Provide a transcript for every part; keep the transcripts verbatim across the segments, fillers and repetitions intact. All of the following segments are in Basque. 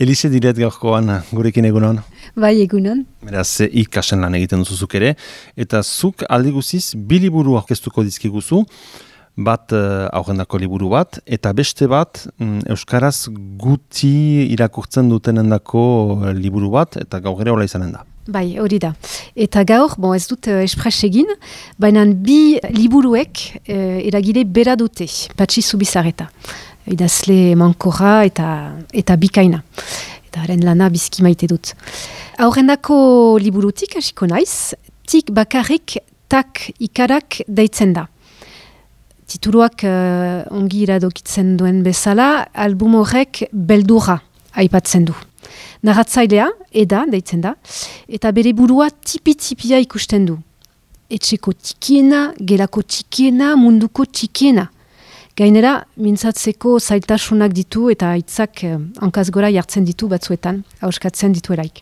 Elise diret gaurkoan gurekin egunon. Bai, egunon. Beraz, ikasen lan egiten duzuzuk ere. Eta zuk aldi guziz, bi liburu aurkeztuko dizkiguzu, bat uh, aurrendako liburu bat, eta beste bat um, Euskaraz guti irakurtzen dutenendako liburu bat, eta gaur ere hola izanen da. Bai, hori da. Eta gaur, bon, ez dut uh, espres egin, baina bi liburuek uh, eragile bera dute, Patxi Zubizarreta. Idazle mankorra eta, eta bikaina. Eta haren lana bizki maite dut. Aurrendako liburutik hasiko naiz, tik bakarrik tak ikarak deitzen da. Tituluak uh, ongi iradokitzen duen bezala, album horrek beldurra aipatzen du. Narratzailea, Eda, deitzen da, eta bere burua tipi-tipia ikusten du. Etxeko tikiena, gelako tikiena, munduko tikiena. Gainera, mintzatzeko zailtasunak ditu eta hitzak eh, hankaz gora jartzen ditu batzuetan, hauskatzen ditu eraik.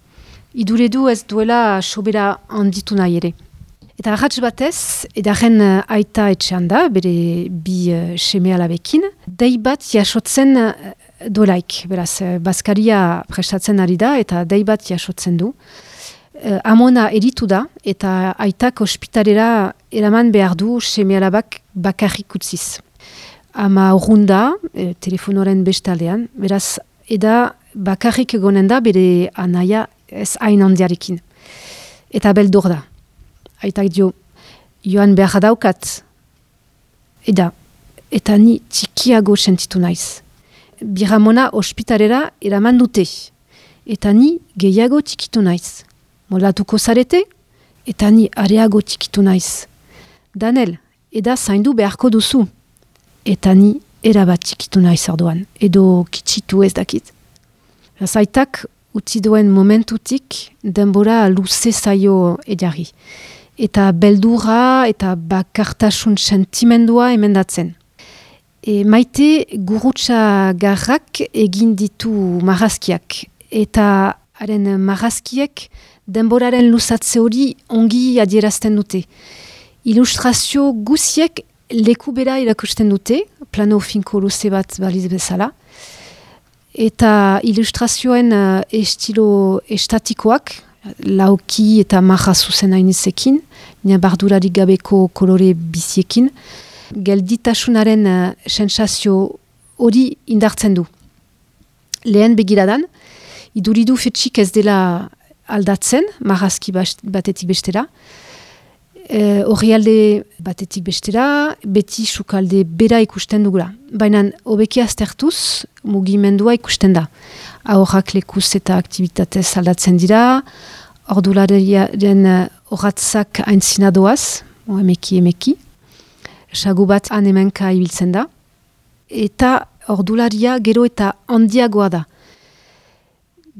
Iduredu ez duela sobera handitu nahi ere. Eta arratz batez, edaren uh, aita etxean da, bere bi uh, seme alabekin, dei bat jasotzen uh, dolaik. Beraz, uh, Baskaria prestatzen ari da eta dei bat jasotzen du. Uh, amona eritu da eta aitak ospitalera eraman behar du seme alabak bakarrik utziz. Ama urrunda, e, telefonoren bestaldean, beraz, eda bakarrik egonen da bere anaia ez hain handiarekin. Eta beldur da. Aitak dio, joan behar daukat. Eda, eta ni txikiago sentitu naiz. Biramona ospitalera eraman dute. Eta ni gehiago txikitu naiz. Molatuko zarete, eta ni areago txikitu naiz. Danel, eda zaindu beharko duzu. Eta ni erabat txikitu naiz orduan, edo kitsitu ez dakit. Zaitak utzi duen momentutik denbora luze zaio edari. Eta beldurra eta bakartasun sentimendua emendatzen. E, maite gurutsa garrak egin ditu marrazkiak. Eta haren marrazkiek denboraren luzatze hori ongi adierazten dute. Ilustrazio guziek leku bera irakusten dute, plano finko luze bat baliz bezala, eta ilustrazioen uh, estilo estatikoak, lauki eta maja zuzen hainizekin, nina bardurarik gabeko kolore biziekin, gelditasunaren uh, sensazio hori indartzen du. Lehen begiradan, iduridu fetxik ez dela aldatzen, marrazki batetik bestera, Horri alde batetik bestera, beti sukalde bera ikusten dugula. Baina hobeki aztertuz, mugimendua ikusten da. Ahorrak lekuz eta aktivitatez aldatzen dira, ordulariaren horatzak aintzina doaz, emeki emeki, sagu bat anemenka ibiltzen da, eta ordularia gero eta handiagoa da.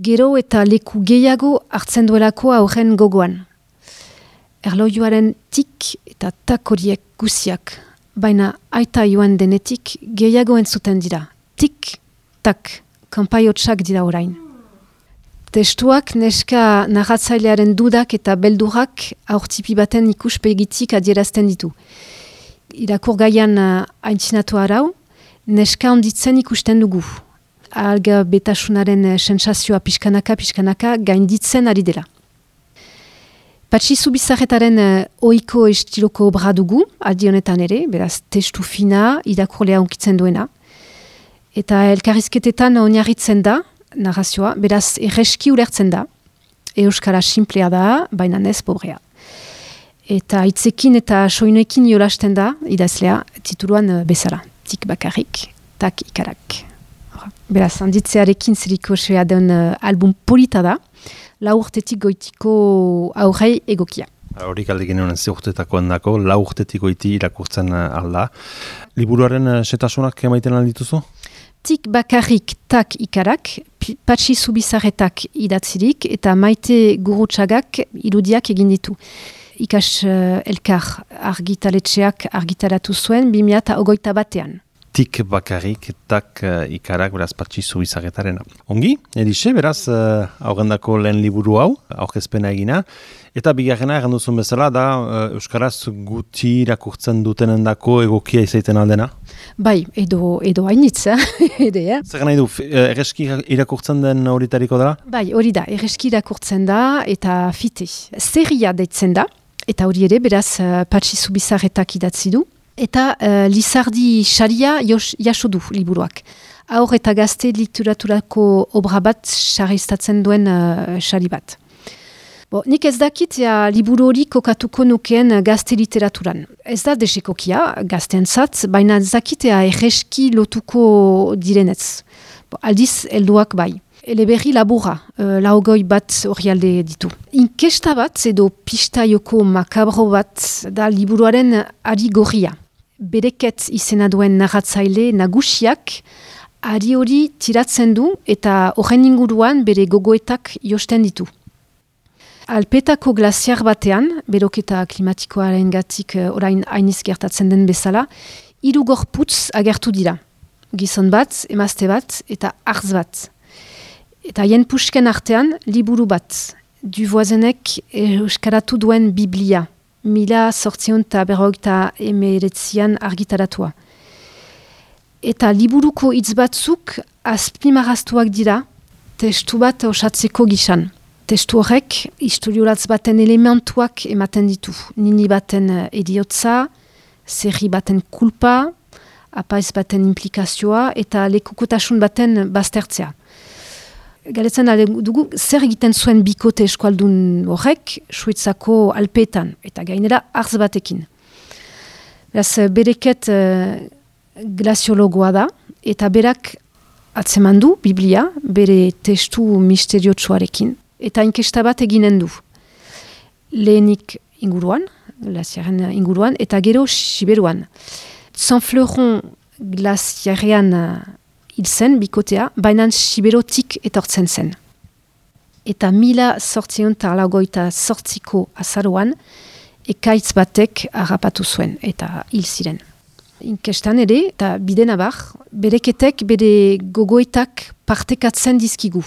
Gero eta leku gehiago hartzen duelako aurren gogoan. Erlojuaren tik eta tak horiek guziak, baina aita joan denetik gehiago entzuten dira. Tik, tak, kanpaiotsak dira orain. Testuak neska narratzailearen dudak eta beldurak aurtipi baten ikuspegitik adierazten ditu. Irakur gaian haintzinatu arau, neska onditzen ikusten dugu. Alga betasunaren sensazioa pixkanaka, pixkanaka gainditzen ari dela. Patxi Zubizarretaren uh, oiko estiloko obra dugu, aldi honetan ere, beraz testu fina, irakurlea onkitzen duena. Eta elkarrizketetan oinarritzen da, narrazioa, beraz erreski ulertzen da. Euskara simplea da, baina ez pobrea. Eta hitzekin eta soinuekin jolasten da, idazlea, tituluan uh, bezala. Tik bakarrik, tak ikarak. Beraz, handitzearekin zeriko soia den uh, album polita da, lau urtetik goitiko aurrei egokia. Horik aldekin honen ze urtetako handako, lau urtetik goiti irakurtzen alda. Liburuaren setasunak emaiten aldituzu? Tik bakarrik tak ikarak, Patxi Zubizarretak idatzirik eta Maite Gurutsagak irudiak egin ditu. Ikas uh, elkar argitaletxeak argitaratu zuen bi mila hogeita batean. tik bakarrik, tak uh, ikarak beraz Patxi Zubizarretarena. Ongi, Elixe, beraz, uh, aurrendako lehen liburu hau, aurkezpena egina, eta bigarrena egan duzun bezala da uh, Euskaraz guti irakurtzen dutenendako egokia izaiten aldena? Bai, edo, edo hainitz, ede, eh? Zer nahi du, erreski irakurtzen den horitariko dela? Bai, hori da, erreski irakurtzen da eta fite. Zerria deitzen da, eta hori ere, beraz, uh, Patxi Zubizarretak idatzi du. Eta uh, Lizardi Saria jaso du liburuak. Haur eta gazte literaturako obra bat sarriztatzen duen uh, sari bat. Bo, nik ez dakit ja, liburu hori kokatuko nukeen gazte literaturan. Ez da desekokia gazteentzat, baina ez dakitea erreski lotuko direnez. Bo, aldiz helduak bai. Eleberri labura, uh, laugoi bat orrialde ditu. Inkesta bat edo pistaioko makabro bat da liburuaren ari gorria. Bereket izena duen narratzaile nagusiak ari hori tiratzen du eta horren inguruan bere gogoetak josten ditu. Alpetako glaziar batean, beroketa klimatikoaren gatik orain hainiz gertatzen den bezala, hiru gorputz agertu dira. Gizon bat, emazte bat eta artz bat. Eta haien pusken artean liburu bat, Duvoisenek euskaratu duen Biblia, mila sortzion eta berrogeita emeretzian argitaratua. Eta liburuko hitz batzuk azpimarraztuak dira testu bat osatzeko gisan. Testu horrek historiolatz baten elementuak ematen ditu. Nini baten ediotza, zerri baten kulpa, apaiz baten implikazioa eta lekukotasun baten baztertzea. Galetzen dugu, zer egiten zuen bikote eskualdun horrek, Suitzako Alpeetan, eta gainera artz batekin. Beraz, bereket uh, glaziologoa da, eta berak atzeman du Biblia, bere testu misteriotsuarekin, eta inkesta bat eginen du. Lehenik inguruan, glaziaren inguruan, eta gero Siberuan. Saint-Fleuron glaziarean hil zen, bikotea, baina Siberotik etortzen zen. Eta mila sortzion eta laugoita sortziko azaroan, ekaitz batek harrapatu zuen, eta hil ziren. Inkestan ere, eta bide nabar, bereketek bere gogoetak partekatzen dizkigu.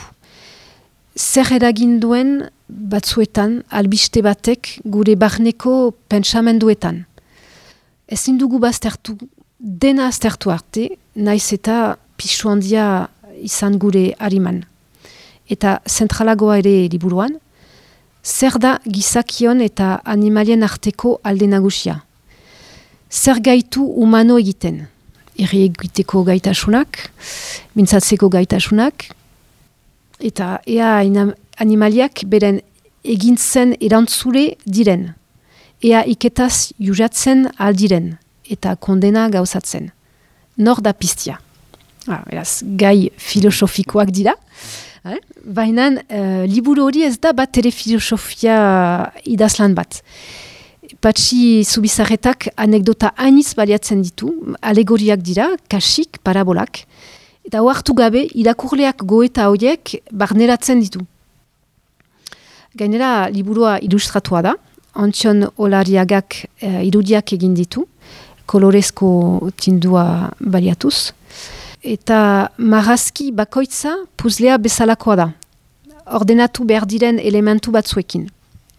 Zer eragin duen batzuetan, albiste batek gure barneko pentsamenduetan. Ezin dugu baztertu, dena aztertu arte, naiz eta pisu handia izan gure hariman. Eta zentralagoa ere liburuan, zer da gizakion eta animalien arteko alde nagusia. Zer gaitu humano egiten. Erri egiteko gaitasunak, mintzatzeko gaitasunak, eta ea animaliak beren egintzen erantzule diren. Ea iketaz jujatzen aldiren eta kondena gauzatzen. Nor da piztia. Ah, beraz, gai filosofikoak dira. Eh? Baina uh, liburu hori ez da bat ere filosofia idazlan bat. Patxi Zubizarretak anekdota hainitz baliatzen ditu, alegoriak dira, kasik, parabolak, eta ohartu gabe irakurleak goeta horiek barneratzen ditu. Gainera, liburua ilustratua da, Antxon Olariagak uh, irudiak egin ditu, kolorezko tindua baliatuz, eta marrazki bakoitza puzlea bezalakoa da. Ordenatu behar diren elementu batzuekin.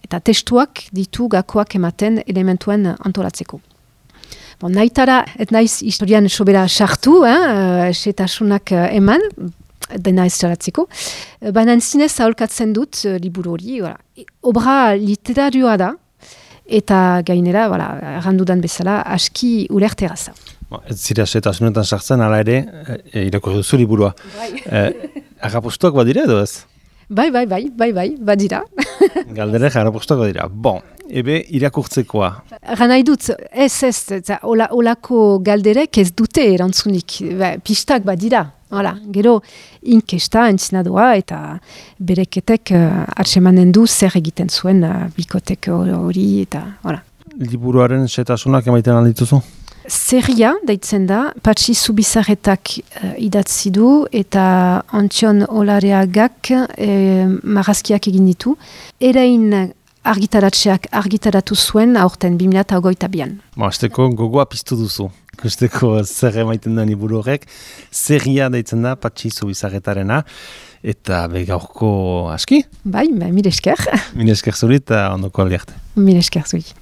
Eta testuak ditu gakoak ematen elementuen antolatzeko. Bon, nahitara, et naiz historian sobera sartu, eh, setasunak eman, dena ez txaratzeko. Baina zinez aholkatzen dut uh, liburu hori. Voilà. Obra literarioa da, eta gainera, voilà, errandudan bezala, aski ulerteraza. Ez zira setasunetan sartzen, ala ere, e, irakurri duzu liburua. Bai. E, Agapostuak badira edo ez? Bai, bai, bai, bai, bai, badira. Galderek agapostuak badira. Bon, ebe irakurtzekoa. Ganai dut, ez ez, eta ola, olako galderek ez dute erantzunik. Ba, pistak badira. Hala, gero inkesta entzinadoa eta bereketek uh, atsemanen du zer egiten zuen uh, bikotek hori eta hala. Liburuaren setasunak emaiten aldituzu? Zerria, deitzen da, Patxi Zubizarretak uh, idatzi du eta Antxon Olareagak uh, marrazkiak egin ditu. Erain argitaratxeak argitaratu zuen aurten bi mila hogeita bian. Azteko gogoa piztu duzu. ikusteko zer emaiten da liburu horrek. Zerria deitzen da, Patxi Zubizarretarena, eta begaurko aski? Bai, ba, mil esker. Mil esker zuri eta ondoko aldiarte. Mil esker zuri.